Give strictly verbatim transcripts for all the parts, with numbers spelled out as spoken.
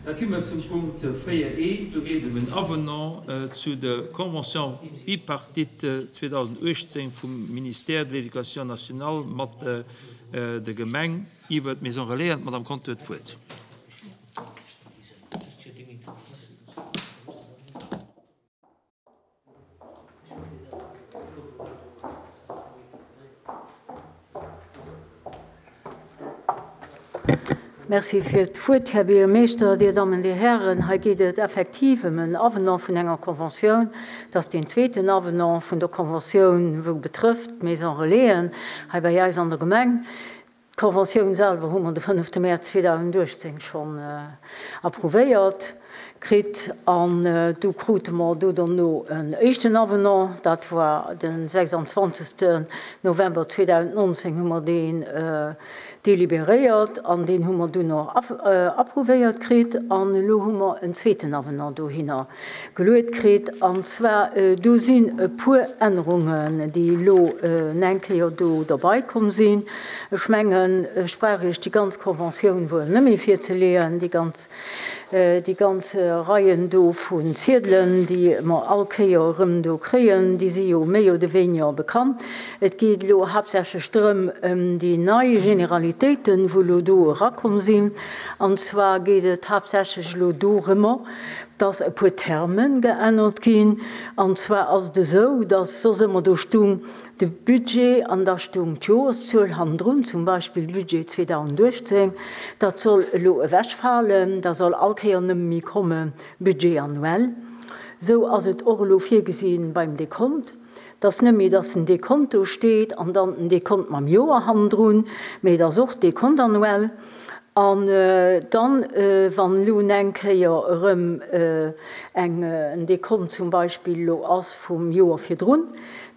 Da komme mer zum Punkt véier E. Do geet et ëm en Avenant zu der Convention bipartite zweedausenduechtzéng vum Ministère de l'Éducation nationale mat der Gemeng iwwer d'Maison Relais. An d'Madame Conter huet d'Wuert. Merci fir d'Wuert, Här Buergermeeschter, Dir Dammen, Dir Hären. Hei geet et effektiv ëm en Avenant vun enger Conventioun. Dat ass deen zweeten Avenant vun der Conventioun, wou betrëfft d'Maison Relaisen hei bei eis an der Gemeng. D'Conventioun selwer hu mer de fënnefte Mäerz zweedausenduechtzéng schonn approuvéiert kritt an du krute mer do dono en éischten Avenant. Dat war de sechsandzwanzegsten November zweedausendnonzéng hu mer deen deliberéiert an deen hu mer dunn och approuvéiert kritt an elo hu mer en zweeten Avenant dohinner geluet kritt. An zwar do sinn e puer Ännerungen, déi elo eng Kéier do derbei komm sinn. Ech mengen, ech brauch Iech déi ganz Conventioun wuel net méi virzeleeën, déi ganz, déi ganz Reien do vun Ziedelen, déi mer all Kéier erëm do kréien, déi si jo méi oder weniger bekannt. Et geet elo haaptsächlech drëm, ëm déi nei Generalitéiten, wou elo do erakomm sinn. An zwar geet et haaptsächlech elo dorëmmer, dass e puer Terme geännert ginn. An zwar ass et esou, dass soss ëmmer do stung de Budget an da stung d'Joreszuel hannendrun, zum Beispill Budget zweedausenduechtzéng. Dat soll elo ewechfalen, da soll all Kéier nëmme méi komme Budget annuel. Esou ass et och elo virgesinn beim Dekont, dass net méi, dass den Dekont do steet an dann den Dekont mam Joer hannendrun, mee dass och Dekont annuel. An dann, wann elo eng Kéier erëm eng, en Dekont zum Beispill elo ass vum Joer virdrun,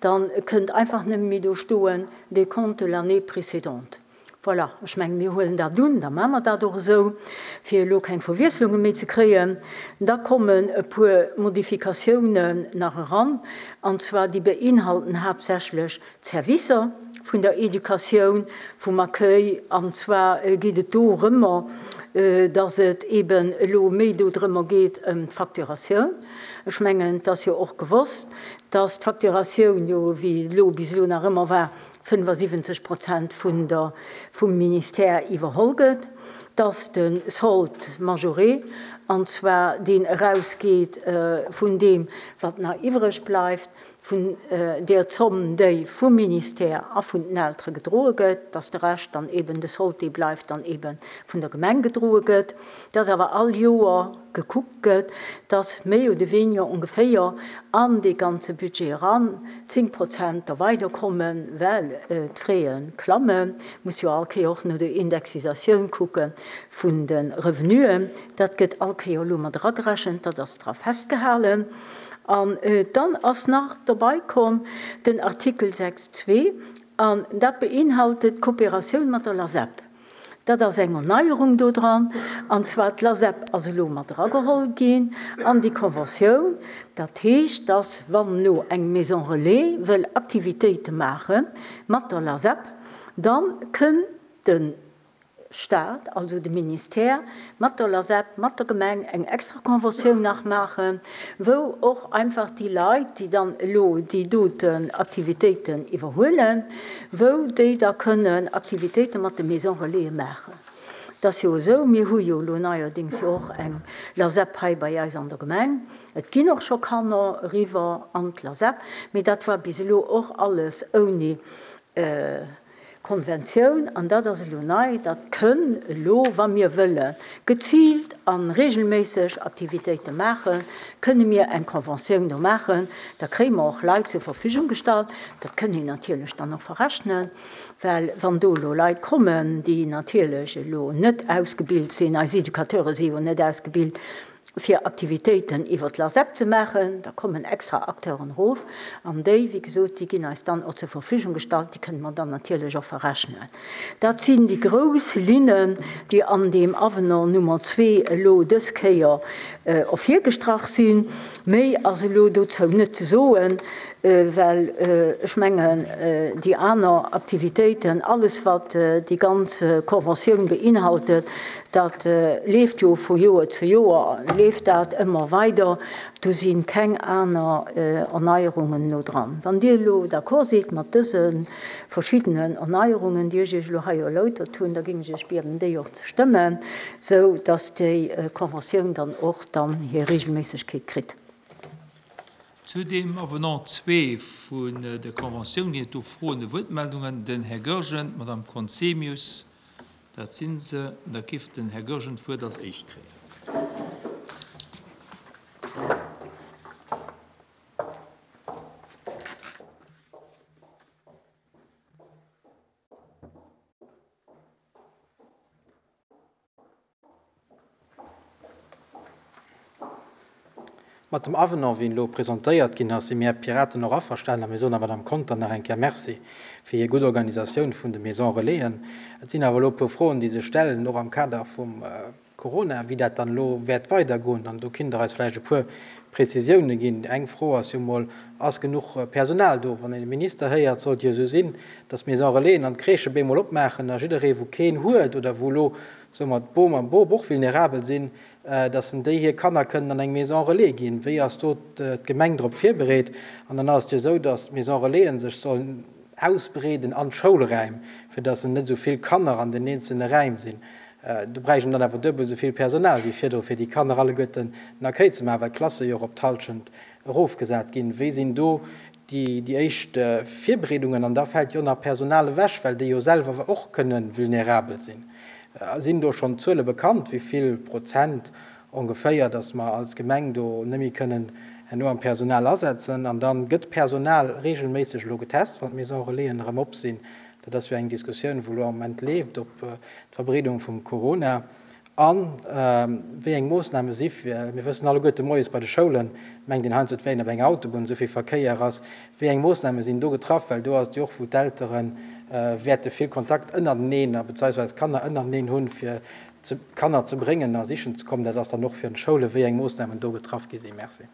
dann kënnt einfach nëmme méi do stoen Décompte de l'année précédente. Voilà, ech mengen, mir huelen dat un, da maache mer dat och esou, fir elo keng Verwiesslunge méi ze kréien. Da kommen e puer Modifikatiounen nach eran, an zwar déi beinhalten haaptsächlech d'Servicer vun der Educatioun, vum Accueil, an zwar geet et dorëmmer, dass et eben elo méi dodrëmmer geet ëm d'Facturatioun. Ech mengen, et ass jo och gewosst, dass d'Facturatioun jo, wéi et elo bis elo nach ëmmer war, fënnefasiwwenzeg Prozent vun der, vum Ministère iwwerholl gëtt, dass de Solde majoré, an zwar deen erausgeet vun deem, wat nach iwwreg bleift, vun där Zomm, déi vum Ministère a vun den Eltere gedroe gëtt, dass de Rescht dann eben, de Solde, dee bleift, dann eben vun der Gemeng gedroe gëtt, dass awer all Joer gekuckt gëtt, dass méi oder weniger ongeféier an dee ganze Budget eran zéng Prozent da weiderkommen, well d'Fraie klammen, muss jo all Kéier och no der Indexisatioun kucke vun de Revenuen. Dat gëtt all Kéier elo mat eragerechent, dat ass dra festgehalen. An dann ass nach dobei komm den Artikel sechs zwee, an dat beinhaltet d'Kooperatioun mat der LASEP. Dat ass eng Erneierung do dran, an zwar d'LASEP ass elo mat erageholl ginn an déi Conventioun. Dat heescht, dass wann elo eng Maison Relais wëll Aktivitéite maache mat der LASEP, dann kënn de Staat, also de Ministère, mat der LASEP, mat der Gemeng eng extra Conventioun nach maachen, wou och einfach déi Leit, déi dann elo déi doten Aktivitéiten iwwerhuelen, wou déi da kënnen Aktivitéite mat de Maison Relais maachen. Dat ass jo esou, mir hu jo elo neierdings jo och eng LASEP hei bei eis an der Gemeng. Et ginn och scho Kanner eriwwer an d'LASEP, mee dat war bis elo och alles ouni Konventioun, an dat ass elo nei, dat kënn elo, wa mir wëlle geziilt a regelméisseg Aktivitéite maachen, kënne mir eng Konventioun do maachen, da kréie mer och Leit zur Verfügung gestallt. Dat kënn een natierlech dann och verrechnen, well wann do elo Leit kommen, déi natierlech elo net ausgebilt sinn, eis Educateure si jo net ausgebilt, fir Aktivitéiten iwwer d'LASEP ze maachen, da kommen extra Acteuren erof an déi, wéi gesot, déi ginn eis dann och zur Verfügung gestallt, déi kënne mer dann natierlech och verrechnen. Dat sinn déi grouss Linnen, déi an deem Avenant Nummer zwee elo dës Kéier ervirgestrach sinn. Méi ass elo dozou net ze soen. well ech mengen, déi aner Aktivitéiten, alles wat déi ganz Conventioun beinhaltet, dat leeft jo vu Joer zu Joer, leeft dat ëmmer weider, do si keng aner Erneierungen elo dran. Wann Dir elo d'accord sidd mat dëse verschiddenen Erneierungen, déi ech Iech elo hei erläutert hunn, da géing ech Iech bieden, déi och ze stëmmen, sou dass déi Conventioun dann och dann hir Regelméissegkeet kritt. Zu dem Avenant zwee vun der Conventioun ginn et do Froen a Wuertmeldungen. Den Här Goergen, d'Madame Conzemius, dat si se. Da géif den Här Goergen d'Wuert als Éischt kréien. Mat dem Avenant, wéi en elo presentéiert ginn ass, si mir Piraten och averstanen a mir soen der Madame Conter nach eng Kéier Merci fir hir gutt Organisatioun vun de Maisons Relaisen. Et sinn awer elo e puer Froen, déi sech stellen, och am Kader vum Corona, wéi dat dann elo wäert weidergoen. An do kinnt Der eis vläicht e puer Prezisioune ginn. Eng Fro ass jo mol, Ass genuch Personal do? Wann een de Minister héiert, sollt jo esou sinn, datt d'Maisons Relaisen an d'Crèchë bemol opmaachen a jidderee wou keen huet oder wou elo, soe mer, d'Bom a Bop och vulnerabel sinn, datt en déi hir Kanner kënnen an eng Maison Relais ginn. Wéi ass do d'Gemeng drop virbereet? An dann ass et jo esou, datt d'Maison Relaisen sech sollen ausbreeden an d'Schoulräim, fir datt en net esou vill Kanner an den eenzelne Räim sinn. Do bräicht een dann awer duebel esou vill Personal wéi virdru, fir déi Kanner alleguerten den Accueil ze maachen, well d'Klasse jo och op d'Hallschent erofgesat ginn. Wéi sinn do déi éischt Virbereedungen? An da fält jo nach Personal ewech, well déi jo selwer och kënne vulnerabel sinn. Sinn do schonn Zuele bekannt, wéi vill Prozent ongeféier, datt mer als Gemeng do net méi kënnen herno am Personal asetzen? An dann gëtt d'Personal reegelméisseg elo getest, wann d'Maison Relaisen erëm op sinn. Dat ass jo eng Diskussioun, wou elo am Moment leeft, op d'Verbreedung vum Corona a wéi eng Moossname si fir, mir wëssen alleguerte moies bei de Schoulen, mengt een heiansdo et wär een op enger Autobunn, esou vill Verkéier ass, wéi eng Moossname sinn do getraff, well do ass et jo och, wou d'Eltere wäerte vill Kontakt ënnerteneen a beziehungsweise d'Kanner ënnerteneen hunn, fir d'Kanner ze bréngen a sichen ze kommen. Dat ass dann och fir d'Schoule, wéi eng Moossnamen do getraff gi sinn. Merci.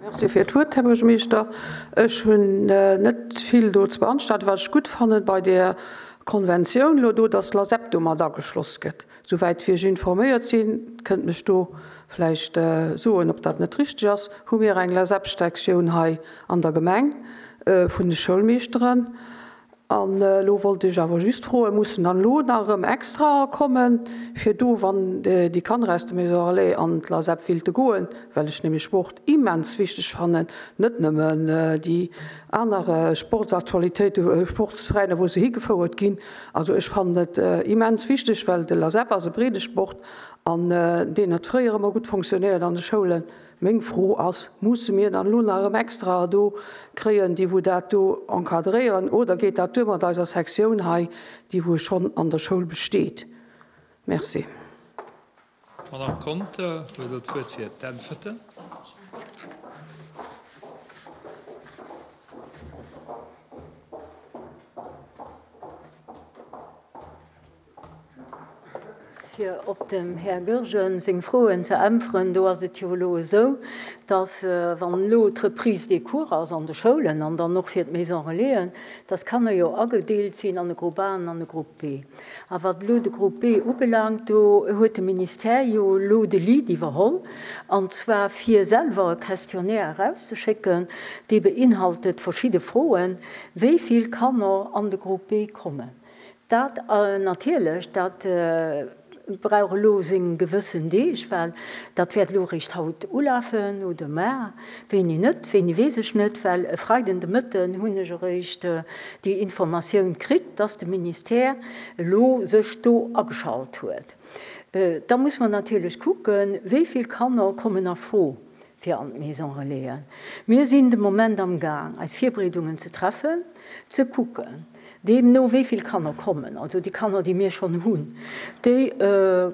Merci fir d'Wuert, Här Buergermeeschter. Ech hunn net vill do ze beanstanden. Wat ech gutt fannen bei där Konventioun elo do, dass l'ASEP do mat ageschloss gëtt. Souwäit wéi ech informéiert sinn, kënnt mech do vläicht soen, ob dat net richteg ass, hu mir eng LASEP-Sektioun hei an der Gemeng vun de Schoulmeeschteren. An elo wollt ech awer just froen, mussen dann elo nach erëm extra kommen, fir do, wann déi Kanner aus der Maison Relais an d'LASEP willte goen, well ech nämlech Sport immens wichteg fannen, net nëmmen déi aner Sportsaktualitéiten, Sportsveräiner, wou se higefouert ginn. Also ech fannen et immens wichteg, well de LASEP ass e breede Sport an deen huet fréier ëmmer gutt fonctionnéiert an de Schoulen. Meng Fro ass, musse mir dann elo nach erëm extra do kréien, déi wou dat do encadréieren, oder geet dat duer mat eiser Sektioun hei, déi wou schonn an der Schoul besteet? Merci. D'Madame Conter huet elo d'Wuert fir d'Äntwerten. Fir op dem Här Goergen seng Froen ze äntweren, do ass et jo elo esou, dass, wann elo d'Reprise des cours ass an de Schoulen an dann och fir d'Maison Relaisen, dass Kanner jo agedeelt sinn an e Grupp A an an e Grupp B. A wat elo de Grupp B ubelaangt, do huet de Ministère jo elo de Lead iwwerholl, an zwar fir selwer e Questionnaire erauszeschécken, dee beinhaltet verschidde Froen, wéi vill Kanner an de Grupp B kommen. Dat natierlech, dat brauch elo seng gewëssen Deeg, well dat wäert elo eréischt haut ulafen oder mar, wéini net, wéini weess ech net, well e Freiden de Mëtten hunn ech eréischt déi Informatioun kritt, dass de Ministère elo sech do ageschalt huet. Da muss mer natierlech kucken, wéi vill Kanner kommen a Fro fir an d'Maison Relaisen. Mir sinn de Moment am Gaang, eis Virbereedungen ze treffen, ze kucken, Deemno wéi vill Kanner kommen, also déi Kanner, déi mir schonn hunn, déi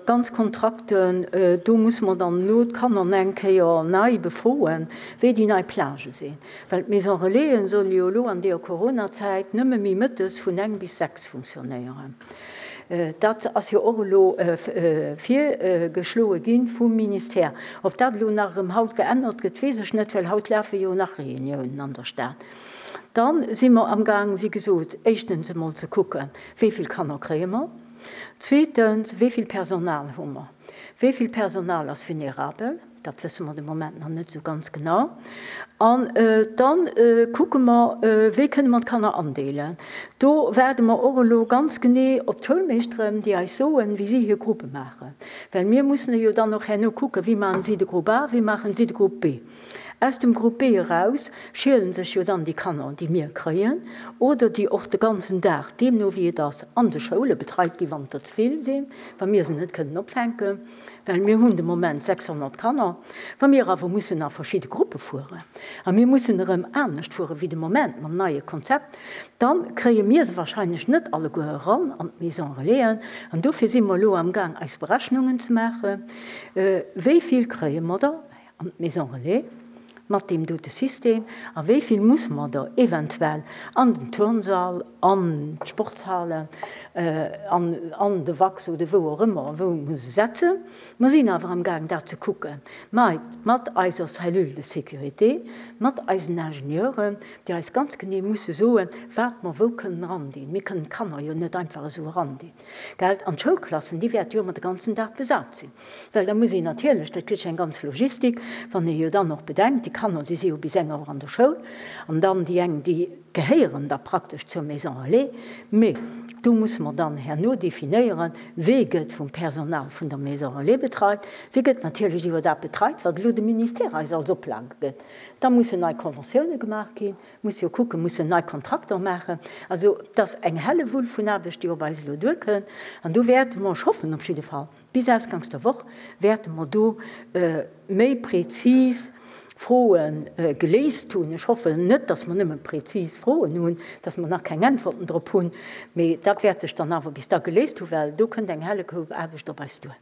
ganz Kontrakten, do musse mer dann elo d'Kanner nach eng Kéier nei befroen, wéi déi nei Plagë sinn. Well d'Maison Relaisen solle jo elo an deeër Coronazäit nëmme méi mëttes vun eng bis sechs funktionéieren. Dat ass jo och elo virgeschloe gi vum Ministère. Ob dat elo nach erëm haut geännert gëtt, weess ech net, well haut lafe jo nach Reuniounen an der Stad. Dann si mer amgaang, wéi gesot, éischtens emol ze kucken, wéi vill Kanner kréie mer, zweetens, wéi vill Personal hu mer, wéi vill Personal ass vulnerabel, dat wësse mer de Moment nach net esou ganz genau, an da kucke mer, wéi kënne mer d'Kanner andeelen. Do waarde mer och elo ganz genee op d'Schoulmeeschteren, déi eis soen, wéi si hir Gruppe maachen, well mir mussen jo dann och herno kucken, wéi maachen si de Grupp A, wéi maachen si de Grupp B. Aus dem Grupp B eraus schielen sech jo dann déi Kanner, déi mir kréien, oder déi och de ganzen Dag, deemno wéi et ass, an de Schoule betreit ginn, wann et der ze vill sinn, wa mir se net kënnen opfänken, well mir hunn de Moment sechshonnert Kanner, wa mir awer mussen a verschidde Gruppe fueren a mir mussen erëm anescht fuere wéi de Moment mam neie Konzept, da kréie mir se wahrscheinlech net alleguer eran an d'Maison Relaisen. An dofir si mer elo amgaang, eis Berechnungen ze maachen, wéi vill kréie mer der an d'Maison Relais mat deem dote System a wéi vill musse mer der eventuell an den Turnsall, an d'Sportshalen, an an de Wachs oder wou och ëmmer, wou mer se setzen. Mer sinn awer amgaang dat ze kucken, mat eiser Cellule de sécurité, mat eisen Ingenieuren, déi eis ganz genee musse soen, wat mer wou kënnen erandinn. Mir kënnen d'Kanner jo net einfach esou erandinn, gell? An d'Schoulklassen, déi wäerte jo ëmmer de ganzen Dag besat sinn, well da muss een natierlech, dat kritt eng ganz Logistik, wann ee jo dann och bedenkt, déi Kanner, déi si jo bis eng Auer an der Schoul, an dann déi eng, déi gehéieren da praktesch zur Maison Relais, mee do musse mer dann herno definéieren, wee gëtt vum Personal vun der Maison Relais betreit, wee gëtt natierlech iwwer dat betreit, wat elo de Ministère eis als Oplage gëtt. Da mussen nei Conventiounen gemaach ginn, muss jo kucken, mussen nei Kontrakter maachen. Also et ass eng Hellewull vun Aarbecht, déi op eis elo duerkënnt, an do wäerte mer, ech hoffen op jidde Fall, bis ausganks der Woch wäerte mer do méi prezis Froe geléist hunn. Ech hoffen net, dass mer nëmme prezis Froen hunn, dass mer nach keng Äntwerten drop hunn, mee dat wäert sech dann awer bis da geléist hunn, well do kënnt eng helle Koup Aarbecht op eis duer.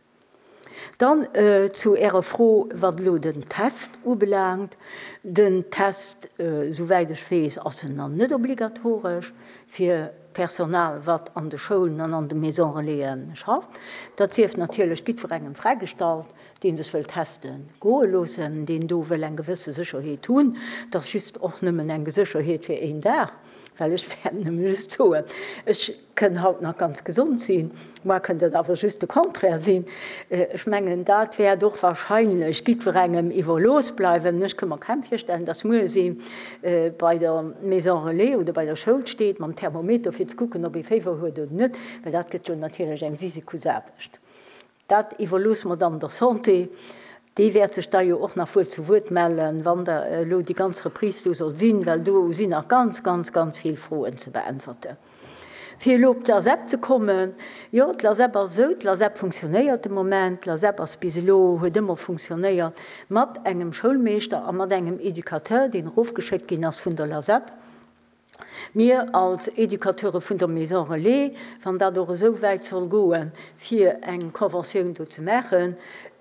Dann zu Ärer Fro, wat elo den Test ubelaangt. Den Test, souwäit ech weess, ass en nach net obligatoresch fir Personal, wat an de Schoulen an an de Maisons Relaisen schafft. Dat sief natierlech jiddwerengem fräigestallt, dee sech wëll teste goe loossen, deen do wëll eng gewësse Sécherheet hunn. Dat ass just och nëmmen eng Sécherheet fir een Dag, well ech wäert nëmme just soen, ech kënn haut nach ganz gesond sinn, muer kënnt et awer just de Contraire sinn. Ech mengen, dat wäert och wahrscheinlech jiddwerengem iwwerlooss bleiwen. Ech ka mer kaum virstellen, dass muer si bei der Maison Relais oder bei der Schoul steet mam Thermometer, fir ze kucken, ob ee Féiwer huet oder net, well dat gëtt jo natierlech eng Sisikusaarbecht. Dat iwwerloosse mer dann der Santé. Déi wäert sech da jo och nach wuel zu Wuert mellen, wann da elo déi ganz Reprise do soll sinn, well do sinn nach ganz, ganz, ganz vill Froen ze beäntwerten. Fir elo op d'LASEP ze kommen, jo, d'LASEP ass esou, d'LASEP funktionéiert de Moment, d'LASEP ass bis elo, huet ëmmer funktionéiert mat engem Schoulmeeschter a mat engem Educateur, deen erofgeschéckt ginn ass vun der LASEP. Mir als Educateure vun der Maison Relais, wann dat och esou wäit soll goen, fir eng Conventioun do ze maachen,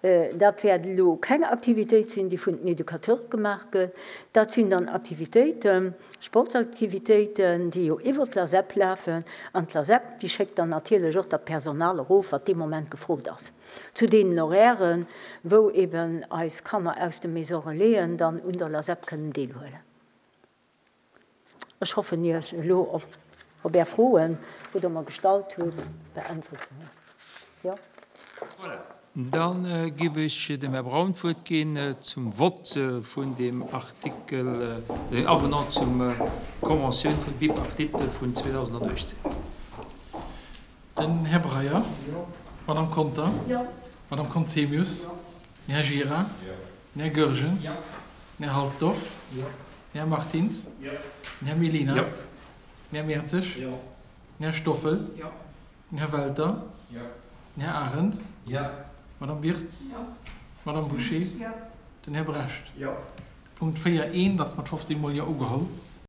dat wäert elo keng Aktivitéit sinn, déi vun den Educateure gemaach gëtt. Dat sinn dann Aktivitéiten, Sportsaktivitéiten, déi jo iwwer d'LASEP lafen. An d'LASEP, déi schéckt dann natierlech och dat Personal erof, wat dee Moment gefrot ass. Zu deenen Horairen, wou eben eis Kanner aus de Maison Relaisen dann un der LASEP kënnen deelhuelen. Ech hoffen, Iech elo op Är Froen, wou Der mer gestallt hutt, beäntwert ze hunn. Jo. Voilà. Dann géif ech dem Här Braun d'Wuert ginn zum Vott vun deem Artikel, den Avenant zum Conventioun vun Bipartite vun zweedausenduechtzéng. Den Här Breyer. Jo. Madame Conter. Jo. Madame Conzemius. Jo. Den Här Gira. Jo. Den Här Goergen. Jo. Den Här Halsdorf. Jo. Den Här Martins. Jo. Den Här Mellina. Jo. Den Här Mertzig. Jo. Den Här Stoffel. Jo. Den Här Welter. Jo. Den Här Arendt. Jo. Madame Wirtz. Jo. Madame Bouché. Jo. Den Här Brecht. Jo. Punkt véier eent ass mat fofzéng Mol Jo ugeholl.